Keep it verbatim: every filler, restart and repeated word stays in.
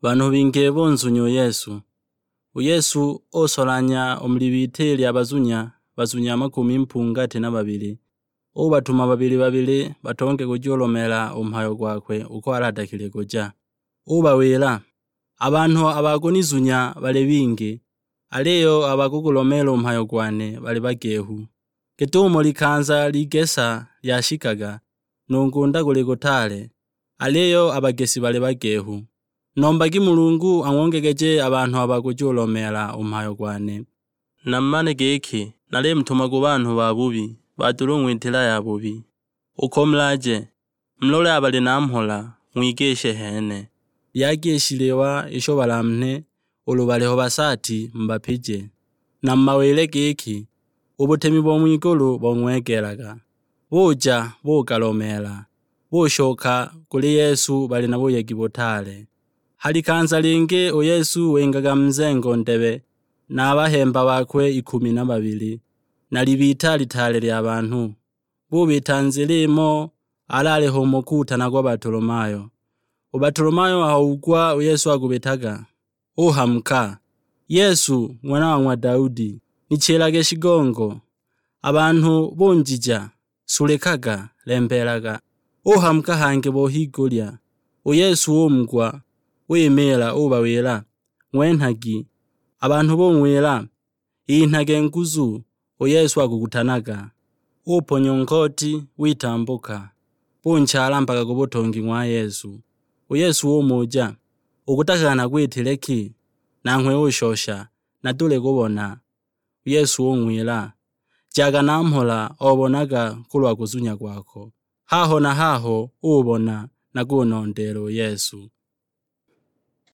Banhu bingi bunzunya u Yesu. U Yesu usolanya u mu libita lya bazunya, bazunya makumi mpungati na babili, ubatuma babili babili batonge kujulomeela u mhayo gwakwe uko aladakile kuja. Ubawila, "A banhu a ba kunizunya bali bingi, aliyo a ba kugulomeela u mhayo gwane bali bagehu. Git'umo likanza ligesa lyashikaga, nu ngunda guli gutaale, aliyo a bagesi bali bagehu. Nombagi Mulungu ang'ongegeje a banhu a ba kujulomeela u mhayo gwane. Namumane giki, nalimutuma ku banhu babubi, badula u ng'witila yabubi. Ukomulaje, mulole a bali na mhola, ng'wigishe hene. Lyagi i shiliwa isho balamunhe, ulu baliho basaati mubapije. Na mumawile giki, u butemi bo ng'wigulu bong'wegelaga." Buja bugalomeela, bushoka kuli Yesu bali na buyegi butaale. Ha likanza lingi u Yesu wingaga mu nzengo ndebe na a bahemba bakwe ikumi na babili, na libita litaale lya banhu. Bubita nzila imo, alaaliho umo kutanagwa Batolomayo. U Batolomayo aho ugwa u Yesu akubitaga, uhamuka, "Yesu, Ng'wana wa ng'wa Daudi, nichilage shigongo!" A banhu bunjija, "Sulikaga, lembeelaga!" Uhamuka hangi bo higulya. U Yesu umugwa, wimiila, ubawila, "Ng'wenhagi." A banhu bung'wila, "Inhage nguzu, u Yesu akukutanaga." Uponya u nkoti, witambuka, bunchala mpaka ku butongi ng'wa Yesu. U Yesu umuja, "Ukutakaga nakwitile ki?" Nanghwe ushosha, "Nadule kubona." U Yesu ung'wila, "Jaga na mhola, obonaga kulwa kuzunya kwako." Haho na haho ubona na kunondeela u Yesu.